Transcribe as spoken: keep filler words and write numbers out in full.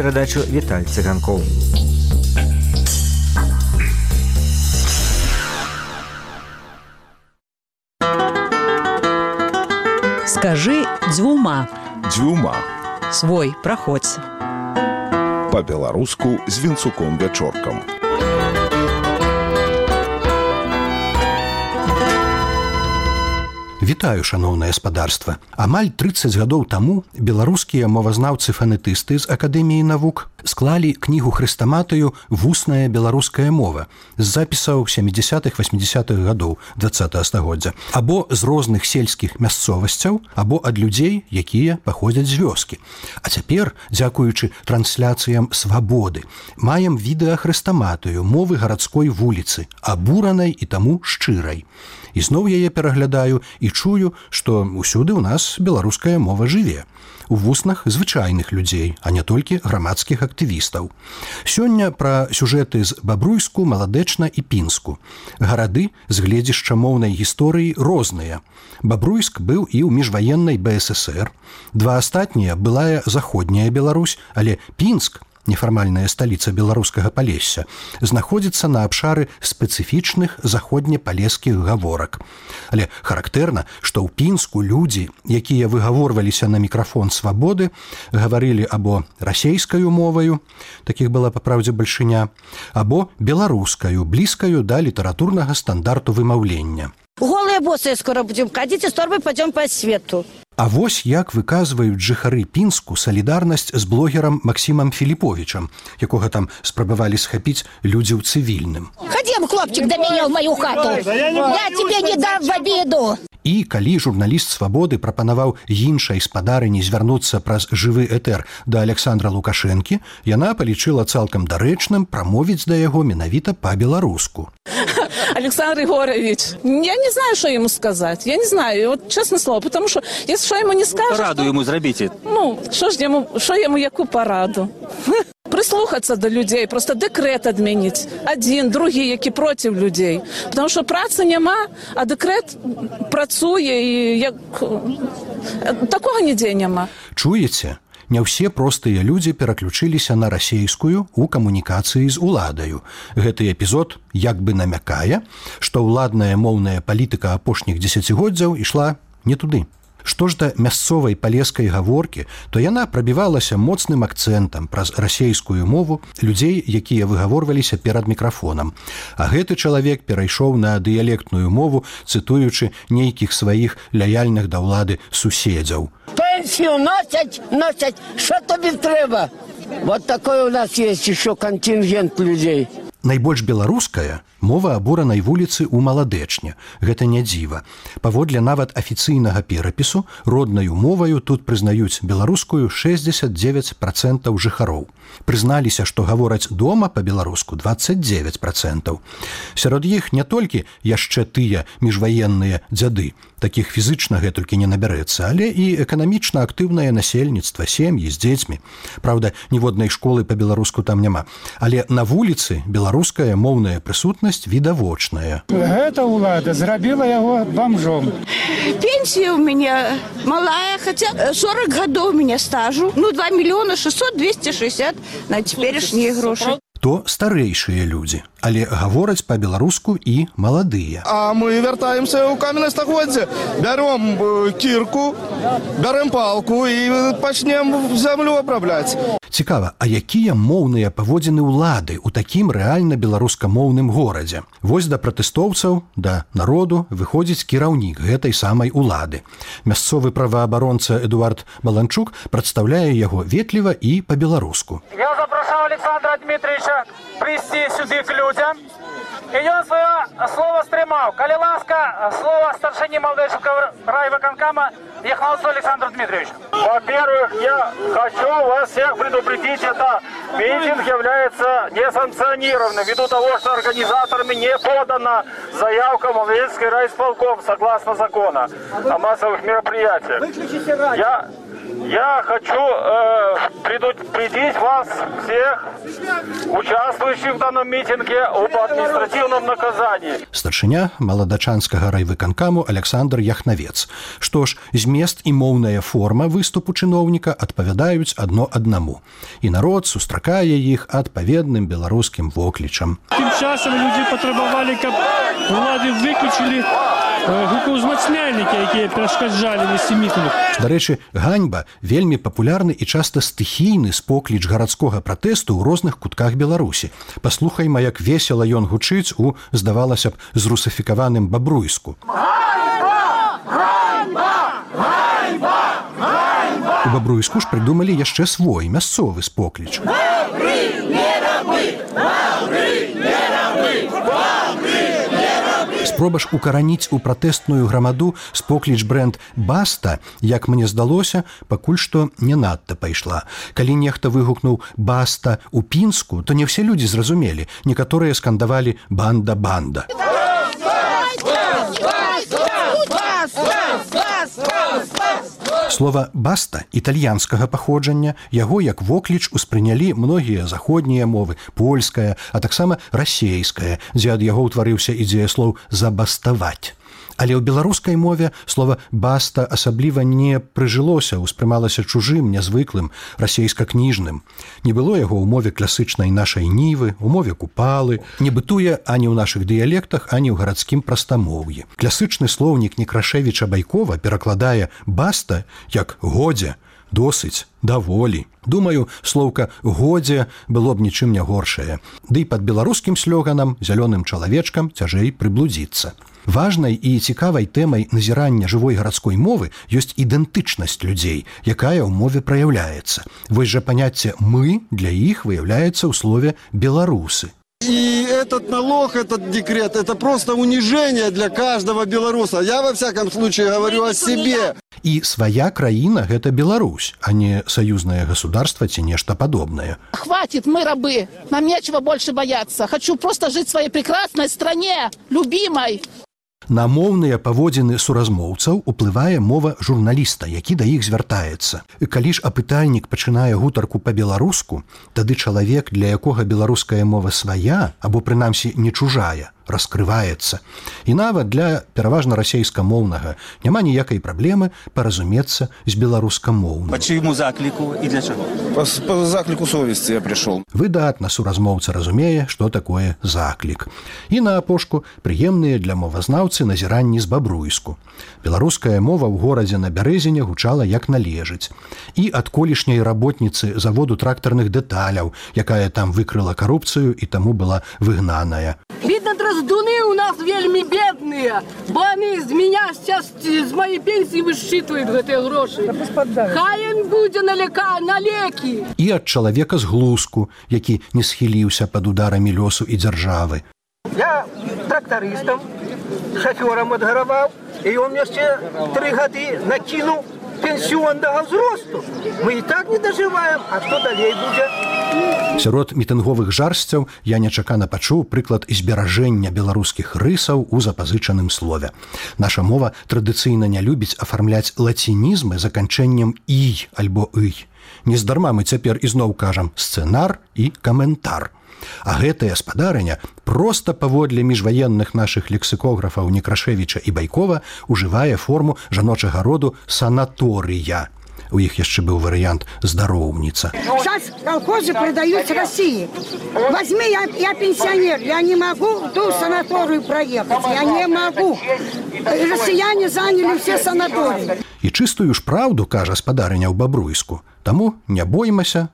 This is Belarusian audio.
Перадачу Віталь Цыганкоў. Скажи дзвюма. Дзвюма. Свой, праходзь. Па-беларуску з Вінцуком Вячоркам. Вітаю, шаноўнае спадарства. Амаль трыццаць гадоў таму беларускія мовазнаўцы-фанетысты з Акадэміі навук склалі кнігу хрэстаматыю «Вусная беларуская мова» з запісаў сямідзясятых-васьмідзясятых гадоў дваццатага стагоддзя, або з розных сельскіх мясцовасцяў, або ад людзей, якія паходзяць з вёскі. А цяпер, дзякуючы трансляцыям «Свабоды», маем відэахрэстаматыю мовы гарадской вуліцы, абуранай і таму шчырай. І зноў яе пераглядаю і чую, што ўсюды ў нас беларуская мова жыве. У вуснах звычайных людзей, а не толькі грамадскіх актывістаў. Сёння пра сюжэты з Бабруйску, Маладэчна і Пінску. Гарады з гледзішча моўнай гісторыі розныя. Бабруйск быў і ў міжваеннай Бэ Эс Эс Эр. Два астатнія былая заходняя Беларусь, але Пінск, нефармальная сталіца беларускага Палесся, знаходзіцца на абшары спецыфічных заходнепалескіх гаворак. Але характэрна, што ў Пінску людзі, якія выгаворваліся на мікрафон «Свабоды», гаварылі або расейскаю моваю, такіх была па праўдзе бальшыня, або беларускаю, блізкаю да літаратурнага стандарту вымаўлення. Голые боссы скоро будем ходить, и с торбой пойдем по свету. А вось як выказваюць жыхары Пінску салідарнасць з блогерам Максімам Філіповічам, якога там спрабавалі схапіць людзі ў цывільным. Ходим, хлопчик, до меня в мою хату. Я тебе не дам в обиду. І калі журналіст «Свабоды» прапанаваў іншай спадарыні звярнуцца праз жывы этэр да Александра Лукашэнкі, яна палічыла цалкам дарэчным прамовіць да яго менавіта па-беларуску. Александр Егорович, я не знаю, что ему сказать. Я не знаю, вот честное слово, потому что если что ему не скажешь... Параду то... ему зробите. Ну, что ж ему, что ему яку параду? Прислухаться до людей, просто декрет адмяніць. Один, другі, які проти людей. Потому что працы няма, а декрет працуе і як... такого нідзе няма. Чуеце? Не ўсе простыя людзі пераключыліся на расейскую ў камунікацыі з уладаю. Гэты эпізод як бы намякае, што ўладная моўная палітыка апошніх дзесяцігоддзяў ішла не туды. Што ж да мясцовай палескай гаворкі, то яна прабівалася моцным акцэнтам праз расейскую мову людзей, якія выгаворваліся перад мікрафонам. А гэты чалавек перайшоў на дыялектную мову, цытуючы нейкіх сваіх лаяльных да ўлады суседзяў. Пенсію носять, носять, що тобі треба? Вот такой у нас есть еще контингент людей. Найбольш беларуская мова абуранай вуліцы ў Маладэчне. Гэта не дзіва. Паводле нават афіцыйнага перапісу, роднаю моваю тут прызнаюць беларускую шэсцьдзесят дзевяць працэнтаў жыхароў. Прызналіся, што гавораць дома па-беларуску дваццаць дзевяць працэнтаў. Сярод іх не толькі яшчэ тыя міжваенныя дзяды, такіх фізычна гэтулькі не набярэцца, але і эканамічна актыўнае насельніцтва, сем'і з дзецьмі. Праўда, ніводнай школы па-беларуску там няма. Але на вуліцы беларуская моўная прысутнасць відавочная. Гэта ўлада зрабіла яго бомжом. Пенсия у меня малая, хотя сорок годов у меня стажу. Ну, два миллиона шестьсот, двести шестьдесят на теперешние гроши. То старэйшыя людзі, але гавораць па-беларуску і маладыя. А мы вяртаемся ў каменнае стагоддзе, бяром кірку, бярем палку і пачнем зямлю абрабляць. Цікава, а якія моўныя паводзіны ўлады ў такім рэальна беларускамоўным горадзе? Вось да пратэстоўцаў, да народу выходзіць кіраўнік гэтай самай улады. Мясцовы праваабаронца Эдуард Баланчук прадстаўляе яго ветліва і па-беларуску. Я запрашаў Александра Дмитриевича прийти сюди к людям, и он свое слово стримал. Коли ласка, слово старшине Маладэчного райвыконкома Яхновцу Александру Дмитриевичу. Во-первых, я хочу вас всех предупредить, это митинг является несанкционированным, ввиду того, что организаторами не подана заявка Маладэчский райисполком согласно закона о массовых мероприятиях. Я... Я хочу э, предупредить вас всех, участвующих в данном митинге, об административном наказании. Старшыня маладачанскага райвыканкаму Александр Яхнавец. Што ж, змест і моўная форма выступу чыноўніка адпавядаюць адно аднаму. І народ сустракае іх адпаведным беларускім воклічам. Тым часам людзі патрабавалі, каб улады выключылі гукаўзмацняльнікі, якія перашкаджалі весці мітынг. Дарэчы, ганьба вельмі папулярны і часта стыхійны спокліч гарадскога пратэсту ў розных кутках Беларусі. Паслухайма, як весела ён гучыць у, здавалася б, зрусафікаваным бабруйску. У бабруйску ж прыдумалі яшчэ свой мясцовы спокліч. Спроба ж укараніць у пратэстную грамаду спокліч брэнд «Баста», як мне здалося, пакуль што не надта пайшла. Калі нехта выгукнуў «Баста» у Пінску, то не ўсе людзі зразумелі. Некаторыя скандавалі «Банда-банда». Слова «баста» італьянскага паходжання, яго як вокліч успрынялі многія заходнія мовы, польская, а таксама расейская, дзе ад яго ўтварыўся і дзеяслоў «забаставаць». Але ў беларускай мове слова «баста» асабліва не прыжылося, успрымалася чужым, нязвыклым, расейска-кніжным. Не было яго ў мове класычнай нашай нівы, у мове купалы, не бытуе ані ў нашых дыялектах, ані ў гарадскім прастамоўі. Класычны слоўнік Некрашевіча Байкова перакладае «баста» як «годзе», «досыць», «даволі». Думаю, слоўка «годзе» было б нічым не горшае. Ды і пад беларускім слёганам, зялёным чалавечкам цяжэй прыблудзіцца. Важнай і цікавай тэмай назірання жывой гарадской мовы ёсць ідэнтычнасць людзей, якая ў мове праяўляецца. Вось жа паняцце «мы» для іх выяўляецца ў слове «беларусы». И этот налог, этот декрет, это просто унижение для каждого белоруса. Я, во всяком случае, говорю о себе. І свая краіна – гэта Беларусь, а не саюзнае государство ці нешта падобнае. Хватит, мы рабы. Нам нечего больше бояться. Хочу просто жить в своей прекрасной стране, любимой. На моўныя паводзіны суразмоўцаў уплывае мова журналіста, які да іх звяртаецца. Калі ж апытальнік пачынае гутарку па-беларуску, тады чалавек, для якога беларуская мова свая, або прынамсі не чужая, раскрываецца. І нават для пераважна расейскамоўнага няма ніякай праблемы паразумецца з беларускамоўным. По чьему заклику и для чего? По, по заклику совести я пришел. Выдатна суразмоўца разумее, што такое заклік. І на апошку прыемныя для мовазнаўцы назіранні з бабруйску. Беларуская мова ў горадзе на Бярэзіне гучала як належыць. І ад колішняй работніцы заводу трактарных дэталяў, якая там выкрыла карупцыю і таму была выгнаная. Видно, драздуны у нас вельми бедные, бо они з меня сейчас з моей пенсии высчитывают гэтыя грошы. Хай им будзе на лека, на лекі. І ад чалавека з глузку, які не схіліўся пад ударамі лёсу і дзяржавы. Я трактористом, шофёром отгаравал, и он мне ще три гады накинул пенсионного взросту. Мы и так не доживаем, а что далей будет? Сярод мітынговых жарсцяў я нечакана пачуў прыклад зберажэння беларускіх рысаў у запазычаным слове. Наша мова традыцыйна не любіць афармляць лацінізмы заканчэннем «ій» альбо «ый». Нездарма мы цяпер ізноў кажам «сцэнар» і «каментар». А гэтая спадарыня проста паводле міжваенных нашых лексікографаў Некрашевіча і Байкова ужывае форму жаночага роду «санаторыя». У іх яшчэ быў варыянт «здароўніца». Сейчас колхозы продают России. Возьми, я, я пенсионер, я не могу в ту санаторию проехать, я не могу. Россияне заняли все санатории. І чыстую ж праўду, кажа спадарыня ў бабруйску. Таму не боймася,